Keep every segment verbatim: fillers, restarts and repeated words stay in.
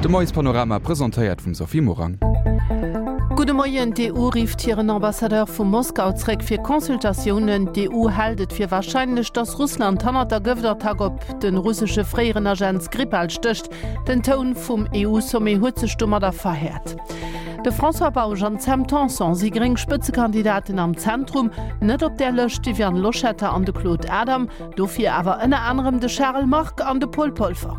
De Moiespanorama presentéiert vum Sophie Morang. Gudde Moien, D'EU rifft hiren Ambassadeur vu Moskau zréck fir Consultatiounen. D'EU hält et fir warscheinlech, datt Russland hannert der Gëftattack op de russesche fréieren Agent Skripal stécht. Den Toun vum EU-Sommet huet sech domadder verhäert. De François Bausch an d'Sam Tanson si gréng Spëtzekandidaten am Zentrum. Net op där Lëscht d'Viviane Loschetter an de Claude Adam, dofir awer ënner anerem de Charel Margue an de Paul Polfer.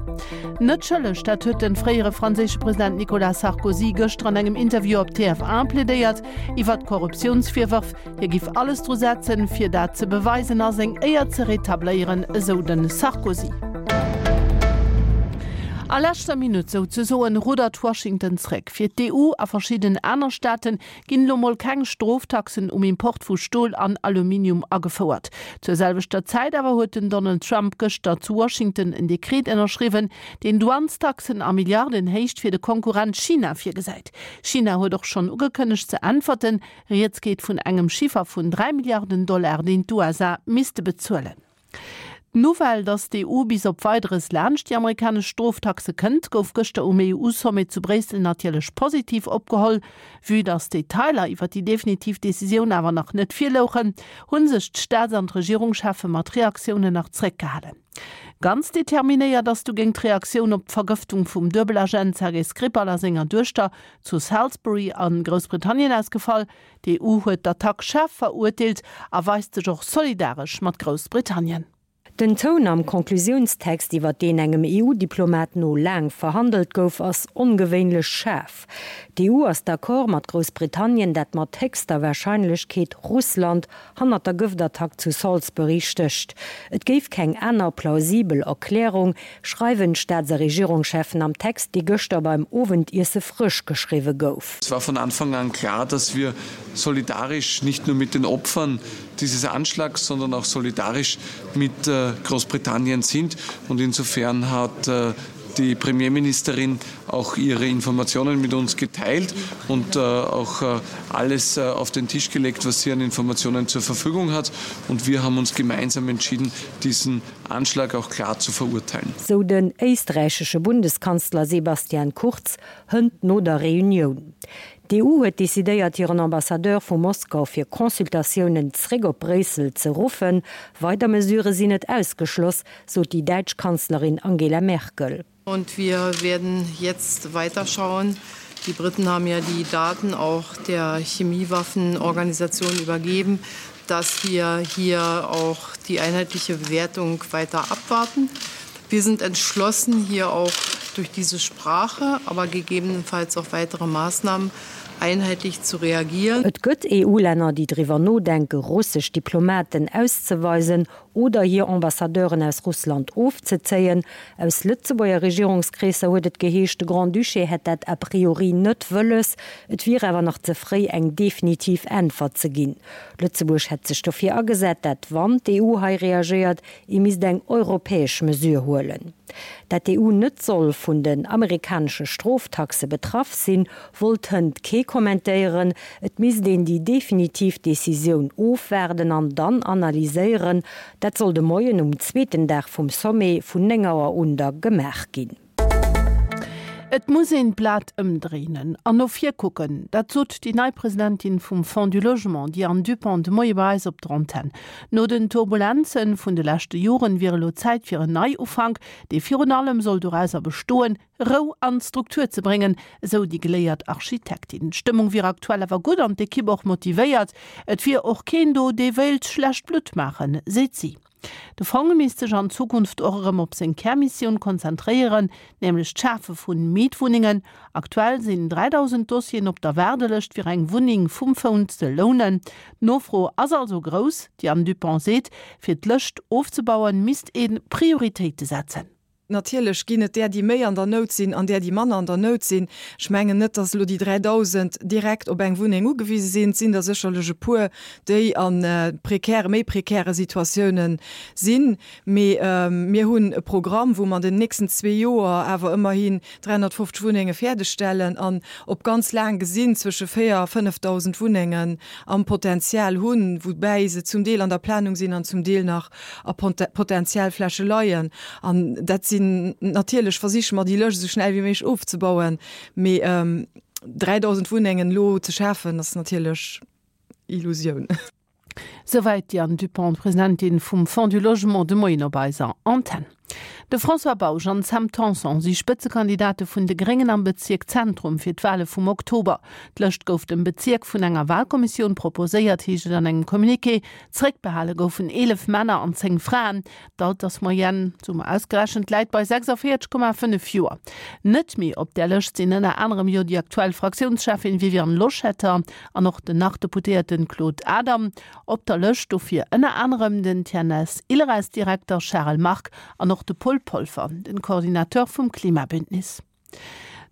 Net schëlleg, dat huet de fréiere franséische President Nicolas Sarkozy gëschter an engem Interview op T F un plädéiert iwwert Korruptiounsvirwërf. Hie giff alles dru setzen, fir dat ze beweisen a seng Éier ze retabléieren, esou de Sarkozy. A leschter Minutt souzesoen ruddert Washington zréck. Fir d'E U a verschidden aner Staate ginn elo mol keng Stroftaxen um Import vu Stol an Aluminium agefouert. Zur selwechter Zäit awer huet den Donald Trump gëschter zu Washington en Dekret ënnerschriwwen, deen Douanestaxen a Milliardenhéicht fir de Konkurrent China virgesäit. China huet och schonn ugekënnegt ze äntwerten. Rieds geet vun engem Chiffer vun dräi Milliarden Dollar, deen d'U S A misste bezuelen. D'Nouvelle, datt d'E U bis op Weideres laanscht déi amerikanesch Stroftaxe kënnt, gouf gëschter um E U-Sommet zu Bréissel natierlech positiv opgeholl. Vue datt d'Detailer iwwer déi definitiv Decisioun awer nach net virlouchen, hu sech d'Staats an d'Regierungscheffe mat Reaktiounen nach zréckgehalen. Ganz determinéiert ass dogéint d'Reaktioun op d'Vergëftung vum Duebelagent Sergei Skripal a senger Duechter zu Salisbury a Groussbritannien ausgefall. D'E U huet d'Attack schaarf verurteelt a weist sech och solidaresch mat Groussbritannien. Den Toun am Konklusiounstext, iwwer deen engem E U-Diplomat no laang verhandelt gouf, ass ongewéinlech schaarf. D'E U ass d'accord mat Groussbritannien, dat mat héchster Warscheinlechkeet Russland hannert der Gëftattack zu Salisbury stécht. Et géif keng aner plausibel Erklärung, schreiwen d'Staats- a Regierungscheffen am Text, dee gëschter beim Owendiesse frësch geschriwwe gouf. Es war von Anfang an klar, dass wir solidarisch nicht nur mit den Opfern dieses Anschlags, sondern auch solidarisch mit, äh, Großbritannien sind. Und insofern hat, äh, die Premierministerin auch ihre Informationen mit uns geteilt und, äh, auch, äh, alles, äh, auf den Tisch gelegt, was sie an Informationen zur Verfügung hat. Und wir haben uns gemeinsam entschieden, diesen Anschlag auch klar zu verurteilen. Sou den österreichische Bundeskanzler Sebastian Kurz hënt no der Reunion. D'E U huet decidéiert, hiren Ambassadeur vu Moskau fir Consultatiounen zréck op Bréissel ze ruffen. Weider Mesure sinn net ausgeschloss, sot déi däitsch Kanzlerin Angela Merkel. Und wir werden jetzt weiterschauen. Die Briten haben ja die Daten auch der Chemiewaffenorganisation übergeben, dass wir hier auch die einheitliche Bewertung weiter abwarten. Wir sind entschlossen, hier auch durch diese Sprache, aber gegebenenfalls auch weitere Maßnahmen einheitlich zu reagieren. Et gëtt E U-Länner, déi driwwer nodenke, russesch Diplomaten auszeweisen oder hir Ambassadeuren aus Russland ofzezéien. Aus Lëtzebuerger Regierungskreesser huet et geheescht, de Grand-Duché hätt dat a priori net wëlles. Et wier awer nach ze fréi, eng definitiv Äntwert ze ginn. Lëtzebuerg hätt sech dofir agesat, dat wann d'E U hei reagéiert, ee misst eng europäesch Mesure huelen. Dat d'E U net soll vun den amerikanesche Stroftaxe betraff sinn, wollt hënt kee kommentéieren. Et misst een déi definitiv Decisioun ofwaarden an dann analyséieren. Dat soll de Moien um zweeten Dag vum Sommet vun néng Auer un da gemaach ginn. Et muss een d'Blat ëmdréinen an no vir kucken. Dat sot déi nei Presidentin vum Fonds du Logement, déi Anne Dupont, de Moie bei eis op der Antenn. No den Turbulenzen vun de leschte Joren wier elo Zäit fir en Neiufank, dee virun allem soll dorauser bestoen, Rou an Struktur ze bréngen, esou déi geléiert Architektin. D'Stëmmung wier aktuell awer gutt an d'Ekipp och motivéiert. Et wier och keen do, dee wéilt schlecht Blutt maachen, seet si. De Fonds misst sech an Zukunft och erëm op seng Kärmissioun konzentréieren, nämlech d'Schafe vun Mietwunnungen. Aktuell sinn dräidausend Dossieren op der Waardelëscht fir eng Wunneng vum Fonds ze lounen. D'Nofro ass also grouss, déi Anne Dupont seet, fir d'Lëscht ofzebauen, misst ee Prioritéite setzen. Natierlech ginn et där, déi méi an der Nout sinn an där, déi manner an der Nout sinn. Ech mengen net, dass elo déi dräidausend direkt op eng Wunneng ugewise sinn. Et sinn der sécherlech e puer, déi an, äh, prekäre, méi prekäre Situatiounen sinn. Mee, ähm, mir hunn e Programm, wou mer an den nächsten zwee Joer awer ëmmerhin dräihunnertfünfzeg Wunnenge fäerdegstellen an op ganz laang gesinn zwësche véier a fënnefdausend Wunnengen am Potenzial hunn, woubäi se zum Deel an der Planung sinn an zum Deel nach a Ponte-, Potenzialfläche leien. An dat sinn sinn natierlech versiche mer déi Lëscht esou schnell wéi méiglech ofzebauen, mee dräidausend Wunnengen elo ze schafen ass natierlech Illusioun. Souwäit d'Diane Dupont, Presidentin vum Fonds du Logement de Moien op eiser Antenn. De François Bausch an d'Sam Tanson si Spëtzekandidate vun de Gréngen am Bezierk Zentrum fir d'Wale vum Oktober. D'Lëscht gouf dem Bezierk vun enger Walkommissioun proposéiert, heescht et an engem Communiqué. Zeréckbehale goufen eelef Männer an zéng Fraen. D'Altersmoyenne, sou mer ausgerechent, läit bei sechsundvierzeg Komma fënnef Joer. Net méi op där Lëscht sinn ënner anerem jo déi aktuell Fraktiounscheffin Viviane Loschetter an och den Nach-Deputéierte Claude Adam. Op der Lëscht dofir ënner anerem den T N S Ilres-Direkter Charel Margue an och de Paul Polfer, den Coordinateur vum Klimabündnis.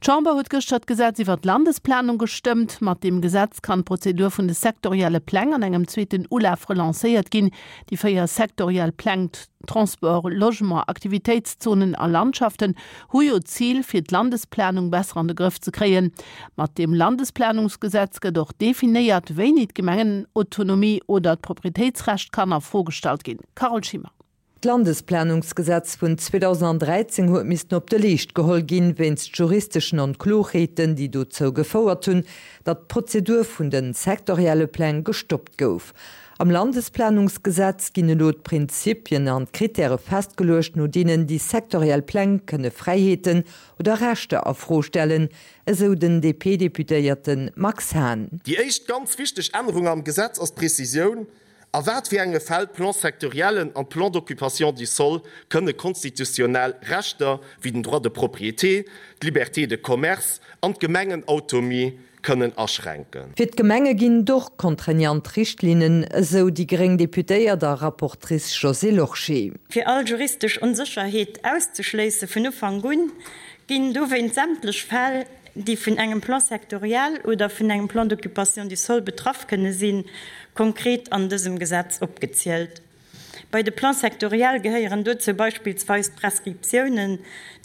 D'Chamber huet gëschter d'Gesetz iwwer d'Landesplanung gestëmmt. Mat deem Gesetz kann d'Prozedur vun de sektorielle Pläng an engem zweeten Ulaf relancéiert ginn. Déi véier sektoriell Pläng, Transport, Logement, Aktivitéitszonen a Landschaften, hu jo d'Zil, fir d'Landesplanung besser an de Grëff ze kréien. Mat deem Landesplanungsgesetz gëtt och definéiert, wéini d'Gemengenautonomie oder d'Proprietéitsrecht kann a Fro gestallt ginn. Carole Schimmer. D'Landesplanungsgesetz vun zweedausenddräizéng huet missten op de Leescht geholl ginn, wéinst juristeschen Onkloerheeten, déi dozou gefouert hunn, datt d'Prozedur vun de sektorielle Pläng gestoppt gouf. Am Landesplanungsgesetz ginn elo d'Prinzipien an d'Krittäre festgeluecht, no deenen déi sektoriell Pläng kënne Fräiheeten oder Rechter a Fro stellen, esou den D P-Deputéierte Max Hahn. Déi éischt ganz wichteg Ännerung am Gesetz ass d'Prezisioun, a wat fir enge Fäll Plan-sectoriellen an Plan d'occupation du sol kënne konstitutionell Rechter wéi den Droit de propriété, d'Liberté de commerce an d'Gemengenautonomie kënnen aschränken. Fir d'Gemenge ginn et och contraignant Richtlinnen, esou déi gréng Deputéiert a Rapportrice Josée Lorsché. Fir all juristesch Onsécherheet auszeschléisse vun Ufank un, ginn dowéinst sämtlech Fäll, déi vun engem Plan sectoriel oder vun engem Plan d'occupation du sol betraff kënne sinn, konkret an dësem Gesetz opgezielt. Bei de Plans sectoriels gehéieren dozou beispillsweis Prescriptiounen,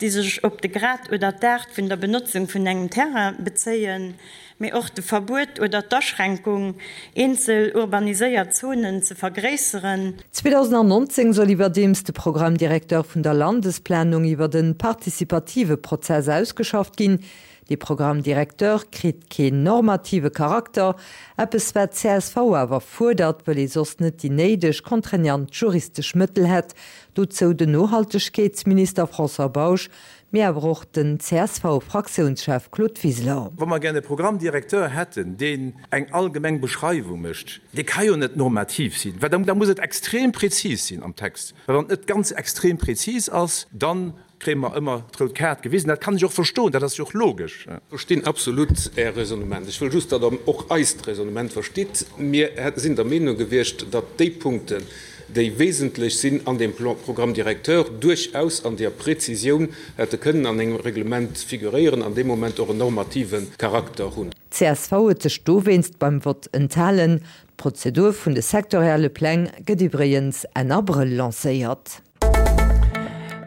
déi sech op de Grad oder d'Aart vun der Benotzung vun engem Terrain bezéien, mee och de Verbuet oder d'Aschränkung, eenzel urbaniséiert Zonen ze vergréisseren. zweedausendnonzéng soll iwwerdeems de Programme directeur vun der Landesplanung iwwer e participative Prozess ausgeschafft ginn. Dee Programme directeur kritt keen normative Charakter, eppes wat d'C S V awer fuerdert, well ee soss net déi néideg contraignant juristesch Mëttel hätt. Dozou den Nohaltegkeetsminister François Bausch, mee awer och den C S V-Fraktiounschef Claude Wiseler. Wa mer gär e Programme directeur hätten, deen eng allgemeng Beschreiwung mécht, dee ka jo net normativ sinn, well da muss et extrem präzis sinn am Text. Well wann et net ganz extrem präzis ass, dann kréie mer ëmmer d'rout Kaart gewisen. Dat kann ech och verstoen, dat ass jo och logesch. Ech verstinn absolut Är Raisonnement. Ech wëll just, datt Der och eist Raisonnement verstitt. Mir sinn der Meenung gewiescht, datt déi Punkten, déi wesentlech sinn an deem Programme directeur, duerchaus an der Präzisioun hätte kënnen an engem Reglement figuréieren an dee Moment och en normative Charakter hunn. D C S V huet sech dowéinst beim Vott enthalen. D'Prozedur vun de sektorielle Pläng gëtt iwwregens Enn Abrëll lancéiert.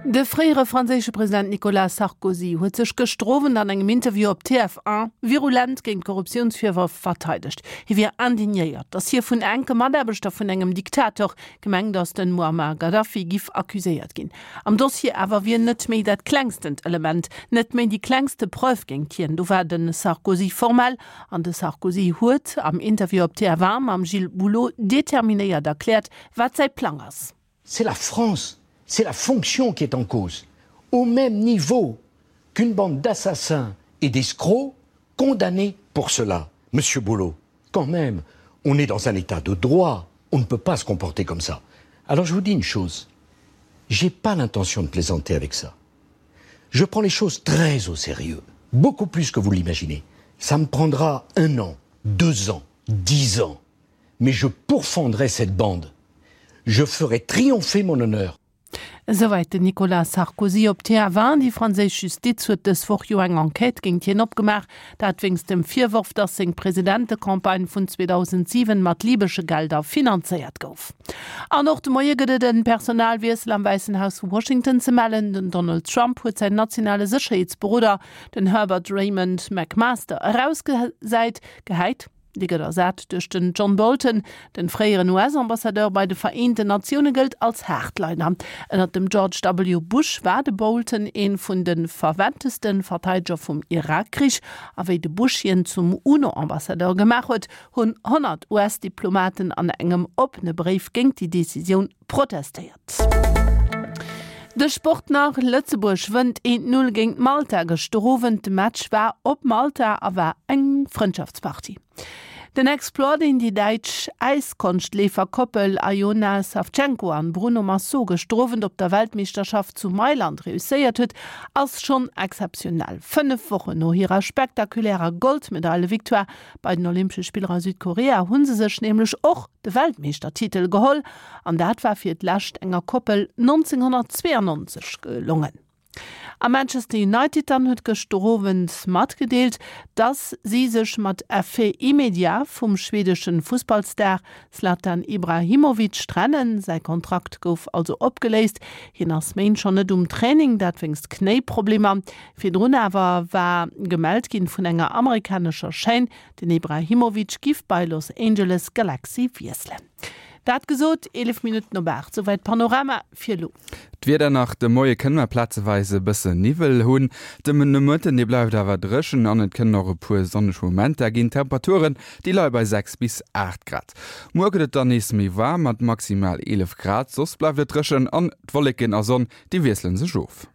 De fréiere franséische President Nicolas Sarkozy huet sech gëschter Owend an engem Interview op T F een virulent géint Korruptiounsvirwërf verteidegt. Hie wier indignéiert, datt hie vun enke Mataarbechter vun engem Diktator, gemengt ass den Muammar Gaddafi, giff accuséiert ginn. Am Dossier awer wier net méi dat klengstent Element, net méi déi klengste Preuve géint hien. Do war de Sarkozy formell an de Sarkozy huet am Interview op T F een mam Gilles Boulot determinéiert erkläert, wat säi Plang ass. C'est la France, c'est la fonction qui est en cause. Au même niveau qu'une bande d'assassins et d'escrocs condamnés pour cela. Monsieur Boulot, quand même, on est dans un état de droit, on ne peut pas se comporter comme ça. Alors je vous dis une chose, j'ai pas l'intention de plaisanter avec ça. Je prends les choses très au sérieux, beaucoup plus que vous l'imaginez. Ça me prendra un an, deux ans, dix ans, mais je pourfendrai cette bande. Je ferai triompher mon honneur. Esouwäit den Nicolas Sarkozy op T F een. Déi franséisch Justiz huet dës Woch jo eng Enquête géint hien opgemaach, dat wéinst dem Virworf, datt seng Presidentecampagne vun zweedausentsiwen mat libesche Gelder finanzéiert gouf. An och de Moie gëtt et en Personalwiessel am Wäissen Haus vu Washington ze mellen. Den Donald Trump huet säin nationale Sécherheetsberoder, den Herbert Raymond McMaster, erausgesäit, gehäit. Dee gëtt ersat duerch den John Bolton. Den fréieren US-Ambassadeur bei de Vereenten Natioune gëllt als Hardliner. Ënnert dem George W. Bush war de Bolton ee vun de ferventeste Verteideger vum Irak-Krich. A wéi de Bush hien zum UNO-Ambassadeur gemaach huet, hunn honnert US-Diplomaten an engem oppene Bréif géint déi Decisioun protestéiert. De Sport nach, Lëtzebuerg wënnt eent Null géint Malta gëschter Owend. De Match war op Malta a war eng Frëndschaftspartie. Den Exploit, deen déi däitsch Äiskonschtleefer-Koppel Aljona Savchenko an Bruno Massot gëschter Owend op der Weltmeeschterschaft zu Mailand reusséiert huet, ass schonn exzeptionell. Fënnef Wochen no hirer spektakulärer Goldmedaile-Victoire bei den Olympesche Spiller a Südkorea hu se sech nämlech och de Weltmeeschtertitel geholl, an dat war fir d'lescht enger Koppel nonzénghonnertzweeanonzeg gelongen. A Manchester United dann huet gëschter Owend matgedeelt, dass si sech mat Effet immédiat vum schwedeschen Fussballstar Zlatan Ibrahimovic trennen. Säi Kontrakt gouf also opgeléist. Hien ass Méint schonn net um Training, dat wéinst Knéiproblemer. Virdrun awer war gemellt ginn vun enger amerikanescher Chaîne, den Ibrahimovic giff bei Los Angeles Galaxy wiesselen. Dat gesot, eelef Minutten op aacht, souwäit Panorama fir elo. D'Wieder nach, De Moie kënne mer plazeweis e bësse Niwwel hunn. De Nomëtten, dee bleift awer dréchen an et kënnen och e puer sonneg Momenter ginn. D'Temperaturen, déi leie bei sechs bis aacht Grad. Muer gëtt et dann nees méi waarm mat maximal eelef Grad. Soss bleift et dréchen an d'Wolleken a Sonn, déi wiessele sech of.